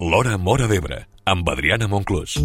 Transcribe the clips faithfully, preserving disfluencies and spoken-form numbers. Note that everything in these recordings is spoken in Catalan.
L'Hora Móra d'Ebre, amb Adriana Monclús.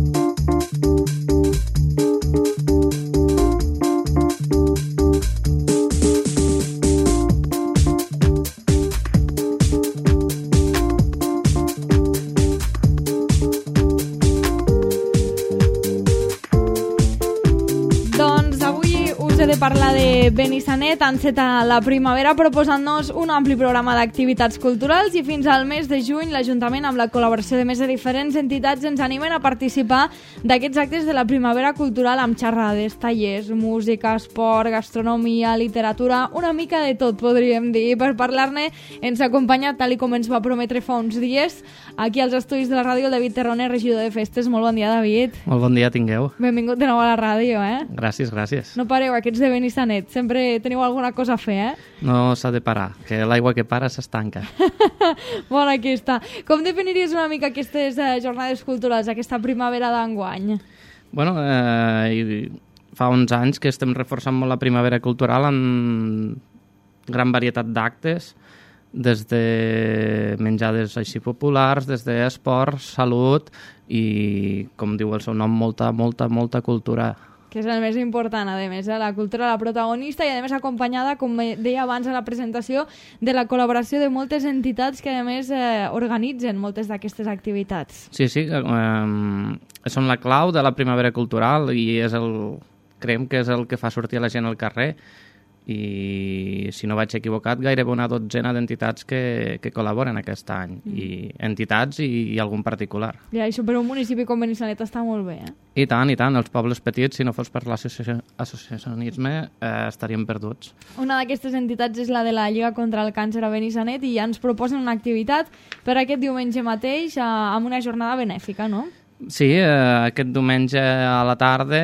De parlar de Benissanet, enceta la primavera proposant-nos un ampli programa d'activitats culturals i fins al mes de juny l'Ajuntament, amb la col·laboració de més de diferents entitats, ens animen a participar d'aquests actes de la primavera cultural amb xerrades, tallers, música, esport, gastronomia, literatura, una mica de tot, podríem dir. Per parlar-ne ens acompanya, tal i com ens va prometre fa uns dies, aquí als estudis de la ràdio, el David Terroner, regidor de festes. Molt bon dia, David. Molt bon dia, tingueu. Benvingut de nou a la ràdio, eh? Gràcies, gràcies. No pareu, aquests de Benissanet, sempre teniu alguna cosa a fer, eh? No s'ha de parar, que l'aigua que para s'estanca. Bona, aquí està. Com definiries una mica aquestes eh, jornades culturals, aquesta primavera d'enguany? Bueno, eh, fa uns anys que estem reforçant molt la primavera cultural amb gran varietat d'actes, des de menjades així populars, des d'esport, salut i, com diu el seu nom, molta, molta, molta cultura. Que és el més important, a més, eh? La cultura, la protagonista, i a més acompanyada, com deia abans a la presentació, de la col·laboració de moltes entitats que a més eh, organitzen moltes d'aquestes activitats. Sí, sí, eh, són la clau de la primavera cultural i és el, creiem que és el que fa sortir la gent al carrer. I, si no vaig equivocat, gairebé una dotzena d'entitats que, que col·laboren aquest any, mm. i entitats i, i algun particular. Ja, això per un municipi com Benissanet està molt bé, eh? I tant, i tant. Els pobles petits, si no fos per l'associacionisme, eh, estaríem perduts. Una d'aquestes entitats és la de la Lliga contra el Càncer a Benissanet i ja ens proposen una activitat per aquest diumenge mateix eh, amb una jornada benèfica, no? Sí, eh, aquest diumenge a la tarda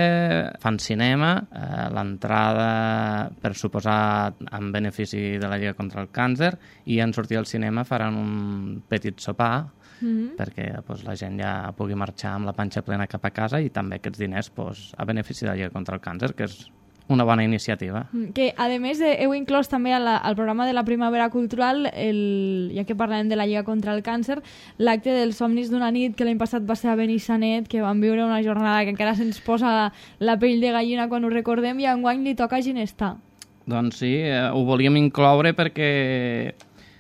fan cinema, eh, l'entrada, per suposar, en benefici de la Lliga contra el Càncer, i en sortir al cinema faran un petit sopar, mm-hmm. perquè pues, la gent ja pugui marxar amb la panxa plena cap a casa, i també aquests diners pues, a benefici de la Lliga contra el Càncer, que és una bona iniciativa. Que, a més, heu inclòs també al, al programa de la Primavera Cultural, el, ja que parlem de la Lliga contra el Càncer, l'acte dels somnis d'una nit, que l'any passat va ser a Benissanet, que vam viure una jornada que encara se'ns posa la pell de gallina quan ho recordem, i enguany li toca a Ginestar. Doncs sí, eh, ho volíem incloure perquè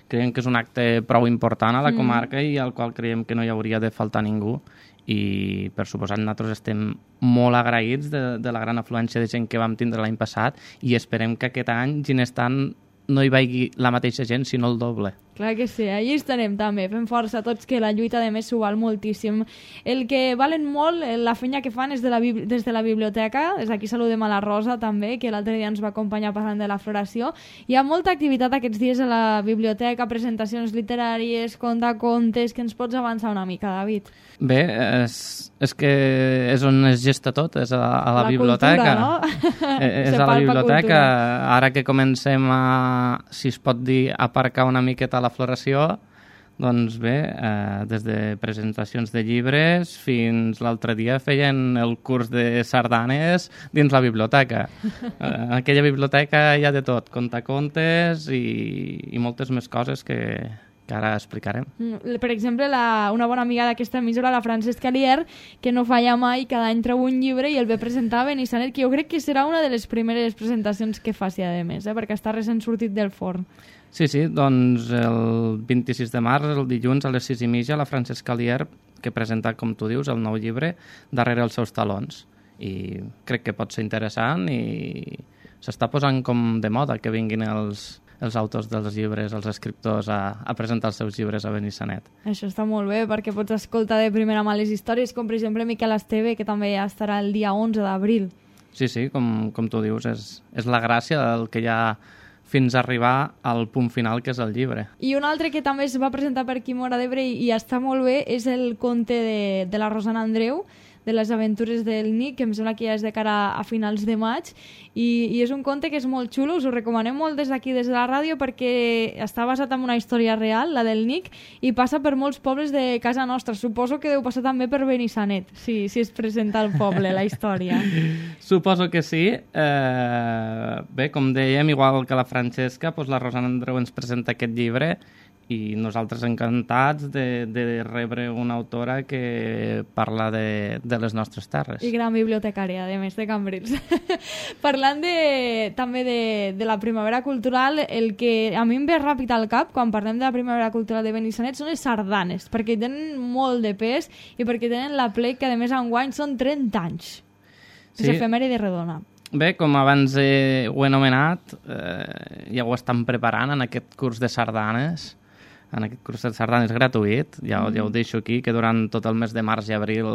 creiem que és un acte prou important a la comarca mm. i al qual creiem que no hi hauria de faltar ningú. I per suposat nosaltres estem molt agraïts de, de la gran afluència de gent que vam tindre l'any passat i esperem que aquest any Ginestar no hi vagi la mateixa gent, sinó el doble. Clar que sí, allí estarem també, fent força tots, que la lluita de més s'ho val moltíssim. El que valen molt, la feina que fan és de la, des de la biblioteca, des d'aquí saludem a la Rosa també, que l'altre dia ens va acompanyar parlant de la floració. Hi ha molta activitat aquests dies a la biblioteca, presentacions literàries, contacontes, que ens pots avançar una mica, David? Bé, és, és que és on es gesta tot, és a, a la, la biblioteca. Cultura, no? És a la biblioteca. Ara que comencem a, si es pot dir, aparcar una miqueta la floració, doncs bé, eh, des de presentacions de llibres fins l'altre dia feien el curs de sardanes dins la biblioteca. Eh, aquella biblioteca hi ha de tot, contacontes i, i moltes més coses que... que ara explicarem. Per exemple, la, una bona amiga d'aquesta emissora, la Francesca Lier, que no falla mai, cada any treu un llibre i el ve presentar a Benissanet, que jo crec que serà una de les primeres presentacions que faci, a més, eh? perquè està recent sortit del forn. Sí, sí, doncs el vint-i-sis de març, el dilluns, a les sis i mitja, la Francesca Lier, que presenta, com tu dius, el nou llibre, Darrere els seus talons. I crec que pot ser interessant i s'està posant com de moda que vinguin els... els autors dels llibres, els escriptors, a, a presentar els seus llibres a Benissanet. Això està molt bé, perquè pots escoltar de primera mà les històries, com per exemple Miquel Esteve, que també ja estarà el dia onze d'abril. Sí, sí, com, com tu dius, és, és la gràcia del que hi ha fins a arribar al punt final, que és el llibre. I un altre que també es va presentar per aquí a Móra d'Ebre i, i està molt bé és el conte de, de la Rosana Andreu, de les aventures del Nick, que em sembla que ja és de cara a finals de maig, i, i és un conte que és molt xulo, us ho recomanem molt des d'aquí, des de la ràdio, perquè està basat en una història real, la del Nick, i passa per molts pobles de casa nostra. Suposo que deu passar també per Benissanet, si, si es presenta al poble, la història. Suposo que sí. Eh, bé, com dèiem, igual que la Francesca, doncs la Rosana Andreu ens presenta aquest llibre, i nosaltres encantats de, de rebre una autora que parla de, de les nostres terres. I gran bibliotecària, a més, de Cambrils. Parlant de, també de, de la primavera cultural, el que a mi em ve ràpid al cap quan parlem de la primavera cultural de Benissanet són les sardanes, perquè tenen molt de pes i perquè tenen la plec que, a més, enguany són trenta anys. És Sí. efemèride redona. Bé, com abans eh, ho he anomenat, eh, ja ho estan preparant en aquest curs de sardanes, en aquest curs de sardanes gratuït, ja, mm. ja ho deixo aquí, que durant tot el mes de març i abril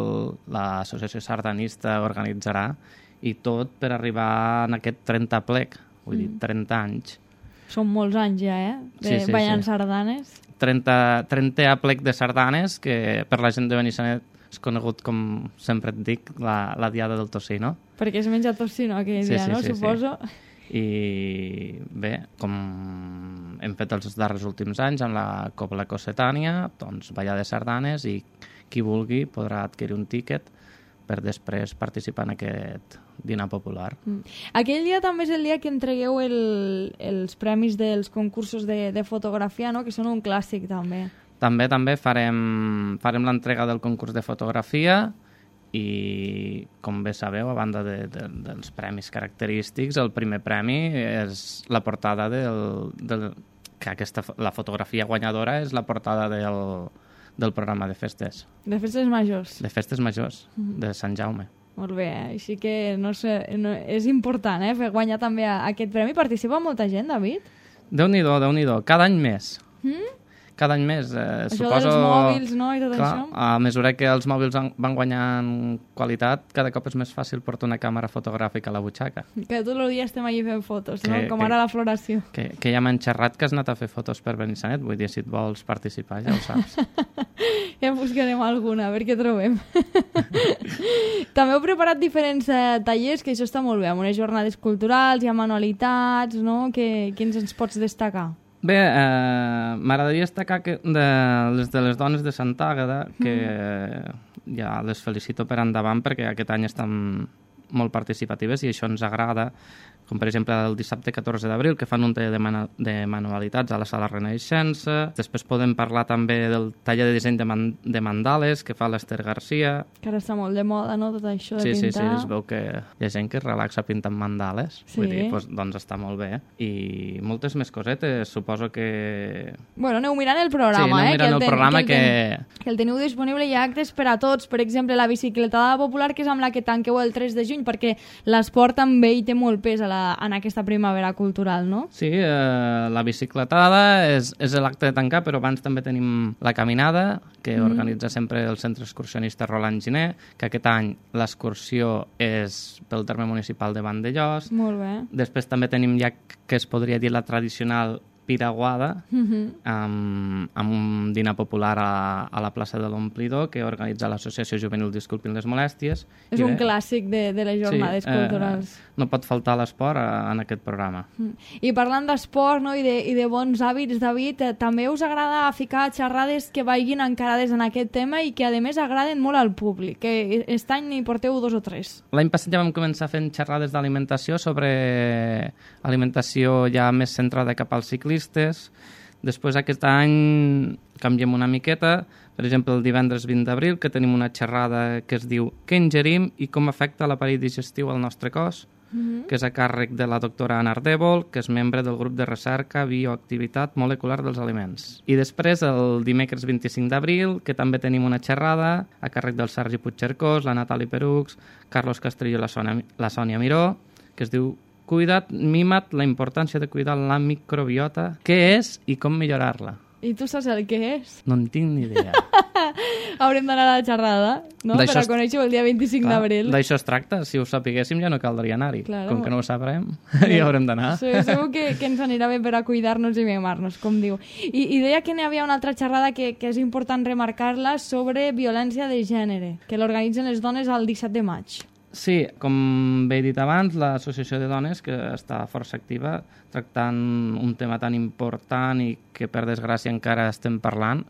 l'associació sardanista organitzarà, i tot per arribar en aquest trenta plec, vull mm. dir, trenta anys. Són molts anys ja, eh? De Sí, sí, ballant sí. sardanes. trenta, trenta plec de sardanes, que per la gent de Benissanet és conegut, com sempre et dic, la, la diada del tocino. Perquè es menja tocino aquell Sí, dia, sí, no? sí, Suposo. sí. I bé, com hem fet els darrers últims anys amb la Cobla Cossetània, doncs ballar de sardanes, i qui vulgui podrà adquirir un tíquet per després participar en aquest dinar popular. Mm. Aquell dia també és el dia que entregueu el, els premis dels concursos de, de fotografia, no? Que són un clàssic també. També també farem, farem l'entrega del concurs de fotografia, i com bé sabeu, a banda de, de, dels premis característics, el primer premi és la portada del, del que aquesta, la fotografia guanyadora és la portada del, del programa de festes De festes majors. de festes majors de Sant Jaume. Molt bé, eh? Així que no sé, no, és important, eh? Fer guanyar també a, aquest premi. Participa molta gent, David? Déu-n'hi-do, Déu-n'hi-do, cada any més. Mm? Cada any més. Eh, Això suposo, dels mòbils, no?, i tot clar, això. a mesura que els mòbils van guanyant qualitat, cada cop és més fàcil portar una càmera fotogràfica a la butxaca. Que tots els dies estem allí fent fotos, no? Que- Com que- ara la floració. Que, que ja m'han xerrat que has anat a fer fotos per Benissanet, vull dir, si et vols participar ja ho saps. Ja en buscarem alguna, a veure què trobem. També heu preparat diferents eh, tallers, que això està molt bé, amb unes jornades culturals, hi ha manualitats, no? Que, quins ens pots destacar? Bé, eh, m'agradaria destacar que de les de les dones de Sant Àgueda, que mm. ja les felicito per endavant perquè aquest any estan molt participatives i això ens agrada, com per exemple el dissabte catorze d'abril, que fan un taller de, manu de manualitats a la Sala Renaixença. Després podem parlar també del taller de disseny de, man de mandales que fa l'Ester Garcia. Que ara està molt de moda, no?, tot això de Sí, sí, pintar. sí, es veu que hi ha gent que es relaxa pintant mandales. Sí. Vull dir, doncs, doncs està molt bé. I moltes més cosetes, suposo que... Bueno, aneu mirant el programa, Sí, aneu eh? mirant el el ten- programa el que... ten- que el teniu disponible, hi ha actes per a tots. Per exemple, la bicicletada popular, que és amb la que tanqueu el tres de juny, perquè l'esport també hi té molt pes a la, en aquesta primavera cultural, no? Sí, eh, la bicicletada és, és l'acte de tancar, però abans també tenim la caminada, que mm. organitza sempre el Centre Excursionista Roland Giner, que aquest any l'excursió és pel terme municipal de Vandellós. Molt bé. Després també tenim ja que es podria dir la tradicional piraguada, Mhm. amb, amb un dinar popular a, a la plaça de l'Omplidor que organitza l'Associació Juvenil Disculpin les Molèsties. És I un bé, clàssic de, de les jornades sí, culturals. Eh, no pot faltar l'esport eh, en aquest programa. Mm. I parlant d'esport, no?, i de, i de bons hàbits, David, eh, també us agrada ficar xerrades que vagin encarades en aquest tema i que, a més, agraden molt al públic, que aquest any n'hi porteu dos o tres. L'any passat ja vam començar fent xerrades d'alimentació sobre alimentació ja més centrada cap als ciclistes. Després aquest any canviem una miqueta. Per exemple, el divendres vint d'abril, que tenim una xerrada que es diu Què ingerim i com afecta l'aparell digestiu al nostre cos, Mm-hmm. que és a càrrec de la doctora Anna Ardèvol, que és membre del grup de recerca Bioactivitat Molecular dels Aliments. I després, el dimecres vint-i-cinc d'abril, que també tenim una xerrada a càrrec del Sergi Puigcercós, la Natali Perux, Carlos Castrillo i la Sònia, la Sònia Miró, que es diu Cuida't, mima't, la importància de cuidar la microbiota, què és i com millorar-la. I tu saps el que és? No en tinc ni idea. Haurem d'anar a la xerrada, no?, per D'això a es- conèixer el dia vint-i-cinc Clar, d'abril. D'això es tracta. Si ho sapiguéssim ja no caldria anar-hi. Claro. Com que no ho sabrem, hi haurem d'anar. Sí, segur que, que ens anirà bé per a cuidar-nos i mimar-nos, com diu. I, i deia que n'hi havia una altra xerrada que, que és important remarcar-la sobre violència de gènere, que l'organitzen les dones el disset de maig. Sí, com bé he dit abans, l'Associació de Dones, que està força activa, tractant un tema tan important i que per desgràcia encara estem parlant,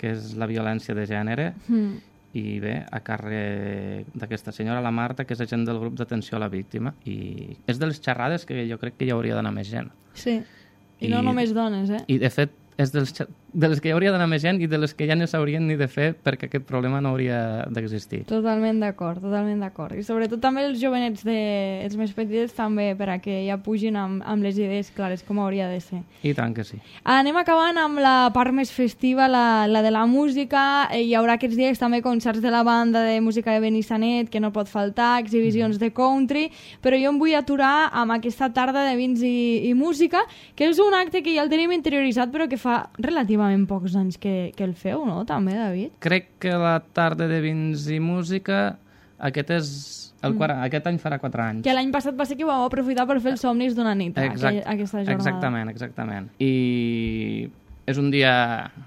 que és la violència de gènere. Mm. I bé, a càrrec d'aquesta senyora, la Marta, que és agent del grup d'atenció a la víctima. I és de les xerrades que jo crec que hi hauria d'anar més gent. Sí, i, I- no només dones, eh? I de fet, és dels, xe- de les que hi hauria d'anar més gent i de les que ja no s'haurien ni de fer perquè aquest problema no hauria d'existir. Totalment d'acord, totalment d'acord. I sobretot també els jovenets, de, els més petits, també per a que ja pugin amb, amb les idees clares, com hauria de ser. I tant que sí. Anem acabant amb la part més festiva, la, la de la música. Hi haurà aquests dies també concerts de la banda de música de Benissanet, que no pot faltar, exhibicions mm. de country, però jo em vull aturar amb aquesta tarda de vins i, i música, que és un acte que ja el tenim interioritzat, però que fa relativament pocs anys que, que el feu, no? També, David? Crec que la tarda de vins i música, aquest és el quart, mm. aquest any farà quatre anys. Que l'any passat va ser que vau aprofitar per fer els somnis d'una nit, Exact, aquella, aquesta jornada. Exactament, exactament. I és un dia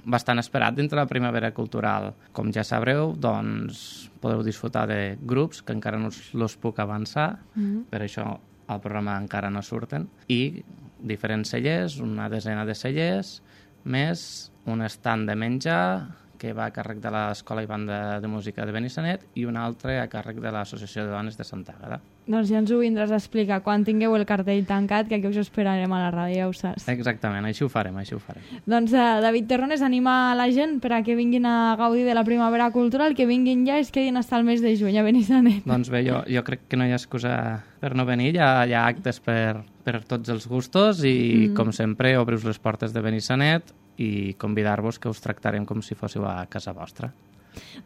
bastant esperat dintre la primavera cultural. Com ja sabreu, doncs podeu disfrutar de grups que encara no us los puc avançar, mm. per això al programa encara no surten, i diferents cellers, una desena de cellers, més un estand de menjar que va a càrrec de l'Escola i Banda de Música de Benissanet i un altre a càrrec de l'Associació de Dones de Santa Àgueda. Doncs ja ens ho vindràs a explicar quan tingueu el cartell tancat, que aquí us esperarem a la ràdio, ja ho saps. Exactament, així ho farem, així ho farem. Doncs uh, David Terrones anima la gent per a que vinguin a gaudir de la primavera cultural, que vinguin ja i es quedin fins al mes de juny a Benissanet. Doncs bé, jo, jo crec que no hi ha excusa per no venir, hi ha, hi ha actes per, per tots els gustos i, mm. com sempre, obriu les portes de Benissanet i convidar-vos que us tractarem com si fóssiu a casa vostra.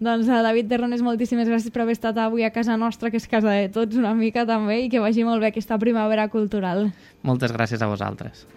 Doncs a David Terrones, moltíssimes gràcies per haver estat avui a casa nostra, que és casa de tots una mica també, i que vagi molt bé aquesta primavera cultural. Moltes gràcies a vosaltres.